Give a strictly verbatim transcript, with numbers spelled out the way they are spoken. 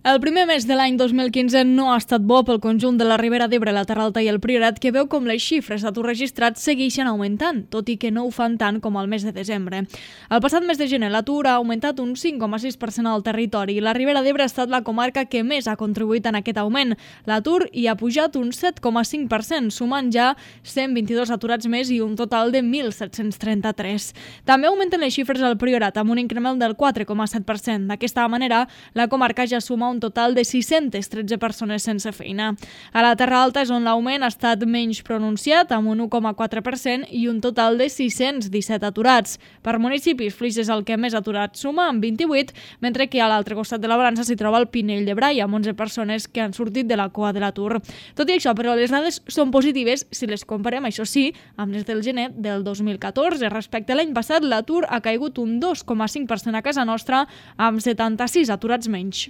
El primer mes de l'any dos mil quinze no ha estat bo pel conjunt de la Ribera d'Ebre, la Terra Alta i el Priorat, que veu com les xifres d'atur registrats segueixen augmentant, tot i que no ho fan tant com al mes de desembre. El passat mes de gener l'atur ha augmentat un cinc coma sis per cent al territori i la Ribera d'Ebre ha estat la comarca que més ha contribuït en aquest augment. L'atur hi ha pujat un set coma cinc per cent, sumant ja cent vint-i-dos aturats més i un total de mil set-cents trenta-tres. També augmenten les xifres al Priorat, amb un increment del quatre coma set per cent. D'aquesta manera, la comarca ja suma un total de sis-centes tretze persones sense feina. A la Terra Alta és on l'augment ha estat menys pronunciat, amb un u coma quatre per cent i un total de sis-cents disset aturats. Per municipis, Flix és el que més aturats suma, amb vint-i-vuit, mentre que a l'altre costat de la balança s'hi troba el Pinell de Brai, amb onze persones que han sortit de la cua de l'atur. Tot i això, però, les dades són positives si les comparem, això sí, amb les del gener del dos mil catorze. Respecte a l'any passat, l'atur ha caigut un dos coma cinc per cent a casa nostra, amb setanta-sis aturats menys.